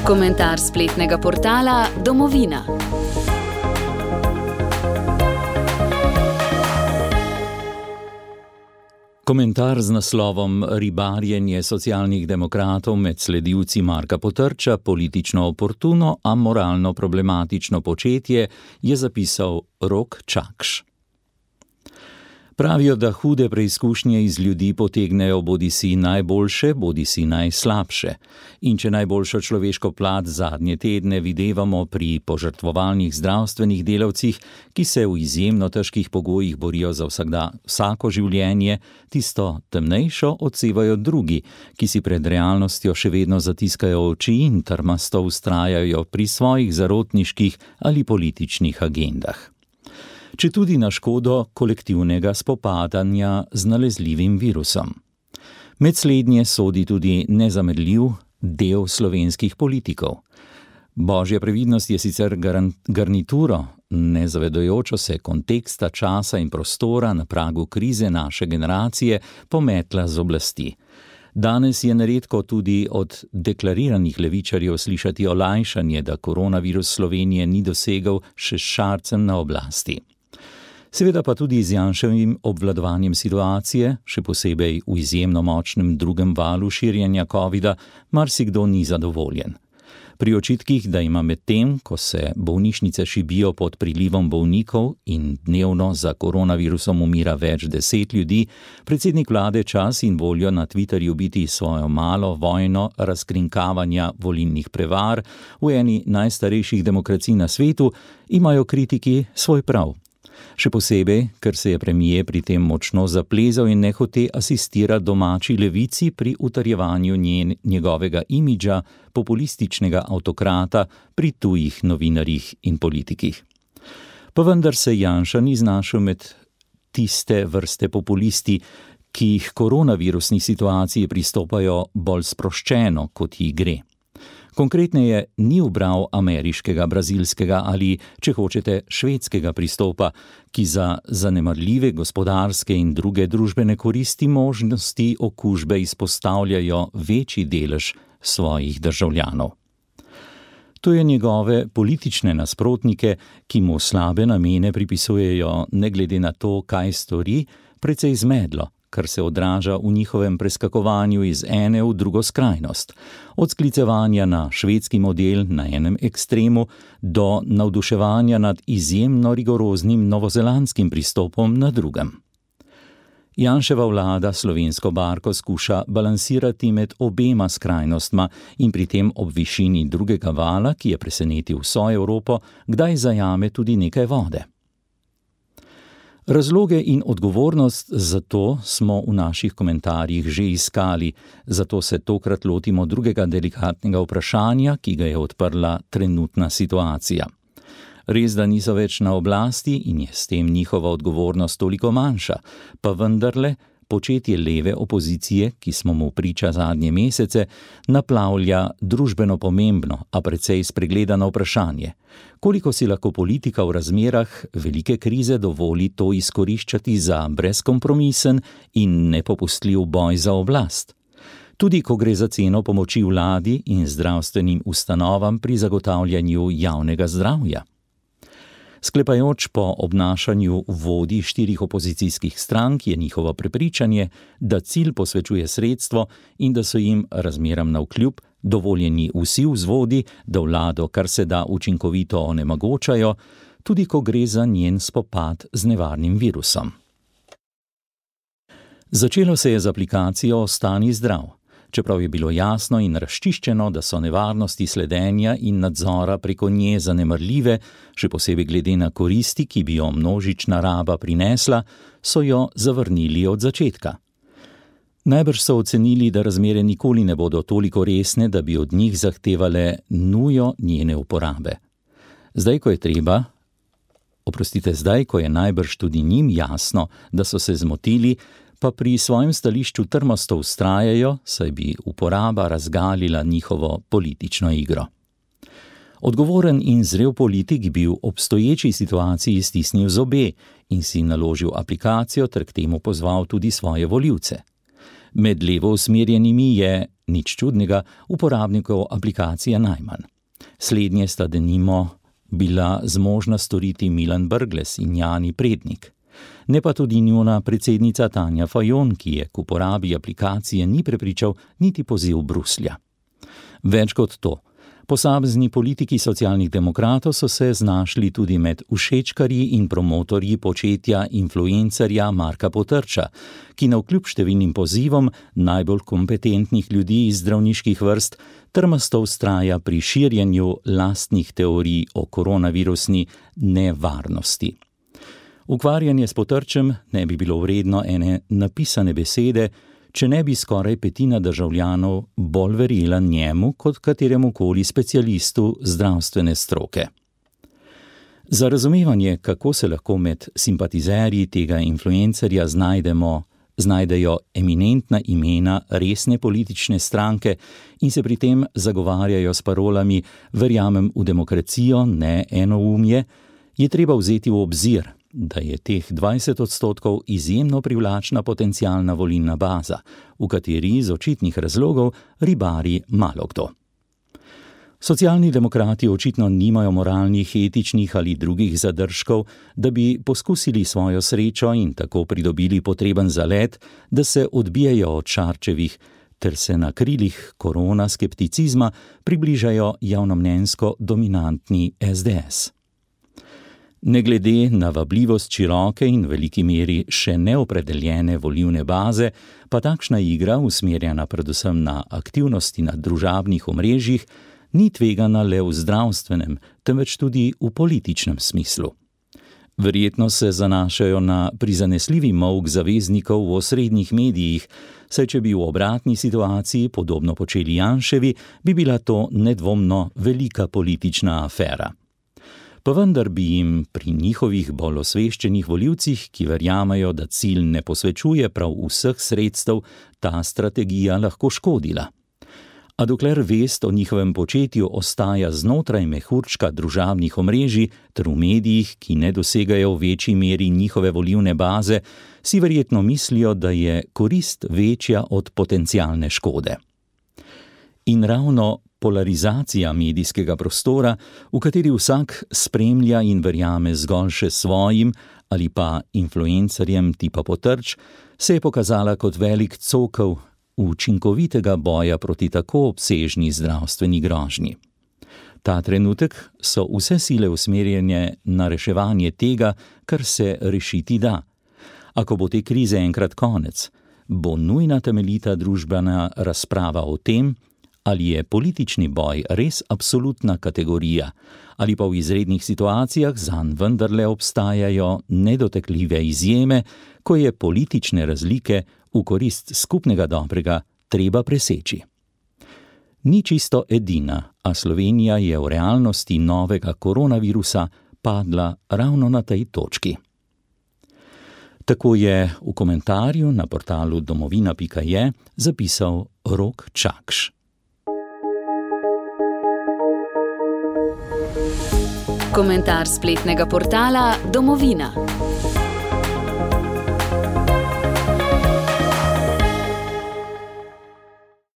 Komentar spletnega portala Domovina. Komentar z naslovom Ribarjenje socialnih demokratov med sledilci Marka Potrča, politično oportuno, a moralno problematično početje, je zapisal Rok Čakš. Pravijo, da hude preizkušnje iz ljudi potegnejo bodisi najboljše, bodisi najslabše. In če najboljšo človeško plat zadnje tedne videvamo pri požrtvovalnih zdravstvenih delavcih, ki se v izjemno težkih pogojih borijo za vsako življenje, tisto temnejšo odsevajo drugi, ki si pred realnostjo še vedno zatiskajo oči in trmasto vztrajajo pri svojih zarotniških ali političnih agendah. Četudi na škodo kolektivnega spopadanja z nalezljivim virusom. Med slednje sodi tudi nezamedljiv del slovenskih politikov. Božja previdnost je sicer garnituro, nezavedajočo se konteksta, časa in prostora na pragu krize naše generacije, pometla z oblasti. Danes je neredko tudi od deklariranih levičarjev slišati olajšanje, da koronavirus Slovenije ni dosegel še s Šarcem na oblasti. Seveda pa tudi z Janševim obvladovanjem situacije, še posebej v izjemno močnem drugem valu širjenja covida, marsikdo ni zadovoljen. Pri očitkih, da ima medtem, ko se bolnišnice šibijo pod prilivom bolnikov in dnevno za koronavirusom umira več 10 ljudi, predsednik vlade čas in voljo na Twitterju biti svojo malo vojno razkrinkavanja volilnih prevar v eni najstarejših demokracij na svetu, imajo kritiki svoj prav. Še posebej, ker se je premier pri tem močno zaplezal in nehote asistira domači levici pri utrjevanju njegovega imidža populističnega avtokrata pri tujih novinarjih in politikih. Pa vendar se Janša ni znašel med tiste vrste populisti, ki jih koronavirusni situaciji pristopajo bolj sproščeno, kot ji gre. Konkretneje ni ubral ameriškega, brazilskega ali, če hočete, švedskega pristopa, ki za zanemarljive gospodarske in druge družbene koristi možnosti okužbe izpostavljajo večji delež svojih državljanov. To je njegove politične nasprotnike, ki mu slabe namene pripisujejo ne glede na to, kaj stori, precej zmedlo, kar se odraža v njihovem preskakovanju iz ene v drugo skrajnost, od sklicevanja na švedski model na enem ekstremu do navduševanja nad izjemno rigoroznim novozelandskim pristopom na drugem. Janševa vlada slovensko barko skuša balansirati med obema skrajnostma in pri tem ob višini drugega vala, ki je presenetil vso Evropo, kdaj zajame tudi nekaj vode. Razloge in odgovornost za to smo v naših komentarjih že iskali, zato se tokrat lotimo drugega delikatnega vprašanja, ki ga je odprla trenutna situacija. Res, da niso več na oblasti in je s tem njihova odgovornost toliko manjša, pa vendarle početje leve opozicije, ki smo mu priča zadnje mesece, naplavlja družbeno pomembno, a precej spregledano vprašanje. Koliko si lahko politika v razmerah velike krize dovoli to izkoriščati za brezkompromisen in nepopustljiv boj za oblast? Tudi ko gre za ceno pomoči vladi in zdravstvenim ustanovam pri zagotavljanju javnega zdravja. Sklepajoč po obnašanju vodij 4 opozicijskih strank je njihovo prepričanje, da cilj posvečuje sredstvo in da so jim razmeram navkljub dovoljeni vsi vzvodi, da vlado kar se da učinkovito onemogočajo, tudi ko gre za njen spopad z nevarnim virusom. Začelo se je z aplikacijo Ostani zdrav. Čeprav je bilo jasno in razčiščeno, da so nevarnosti sledenja in nadzora preko nje zanemarljive, še posebej glede na koristi, ki bi jo množična raba prinesla, so jo zavrnili od začetka. Najbrž so ocenili, da razmere nikoli ne bodo toliko resne, da bi od njih zahtevale nujo njene uporabe. Zdaj, ko je najbrž tudi njim jasno, da so se zmotili, pa pri svojem stališču trmasto vztrajajo, saj bi uporaba razgalila njihovo politično igro. Odgovoren in zrel politik bi v obstoječi situaciji stisnil zobe in si naložil aplikacijo ter k temu pozval tudi svoje volivce. Med levo usmerjenimi je, nič čudnega, uporabnikov aplikacije najmanj. Slednje sta denimo bila zmožna storiti Milan Brglez in Jani Prednik. Ne pa tudi njuna predsednica Tanja Fajon, ki je k uporabi aplikacije ni prepričal niti poziv Bruslja. Več kot to. Posamezni politiki socialnih demokratov so se znašli tudi med všečkarji in promotorji početja influencerja Marka Potrča, ki navkljub številnim pozivom najbolj kompetentnih ljudi iz zdravniških vrst trmasto vztraja pri širjenju lastnih teorij o koronavirusni nevarnosti. Ukvarjanje s Potrčem ne bi bilo vredno ene napisane besede, če ne bi skoraj petina državljanov bolj verjela njemu kot kateremukoli specialistu zdravstvene stroke. Za razumevanje, kako se lahko med simpatizerji tega influencerja znajdejo eminentna imena resne politične stranke in se pri tem zagovarjajo s parolami "verjamem v demokracijo, ne enoumje", je treba vzeti v obzir, da je teh 20% izjemno privlačna potencialna volilna baza, v kateri iz očitnih razlogov ribari malokdo. Socialni demokrati očitno nimajo moralnih, etičnih ali drugih zadržkov, da bi poskusili svojo srečo in tako pridobili potreben zalet, da se odbijajo od Šarčevih ter se na krilih korona skepticizma približajo javnomnenjsko dominantni SDS. Ne glede na vabljivost široke in veliki meri še neopredeljene volilne baze, pa takšna igra, usmerjena predvsem na aktivnosti na družabnih omrežjih, ni tvegana le v zdravstvenem, temveč tudi v političnem smislu. Verjetno se zanašajo na prizanesljivi molk zaveznikov v osrednjih medijih, saj če bi v obratni situaciji podobno počeli Janševi, bi bila to nedvomno velika politična afera. Pa vendar bi jim pri njihovih bolj osveščenih volivcih, ki verjamajo, da cilj ne posvečuje prav vseh sredstev, ta strategija lahko škodila. A dokler vest o njihovem početju ostaja znotraj mehurčka družabnih omrežij ter v medijih, ki ne dosegajo v večji meri njihove volilne baze, si verjetno mislijo, da je korist večja od potencialne škode. In ravno polarizacija medijskega prostora, v kateri vsak spremlja in verjame zgolj še svojim ali pa influencerjem tipa Potrč, se je pokazala kot velik cokel učinkovitega boja proti tako obsežni zdravstveni grožnji. Ta trenutek so vse sile usmerjene na reševanje tega, kar se rešiti da. A ko bo te krize enkrat konec, bo nujna temeljita družbena razprava o tem, ali je politični boj res absolutna kategorija, ali pa v izrednih situacijah zanj vendarle obstajajo nedotekljive izjeme, ko je politične razlike v korist skupnega dobrega treba preseči. Ni čisto edina, a Slovenija je v realnosti novega koronavirusa padla ravno na tej točki. Tako je v komentarju na portalu domovina.je zapisal Rok Čakš. Komentar spletnega portala Domovina.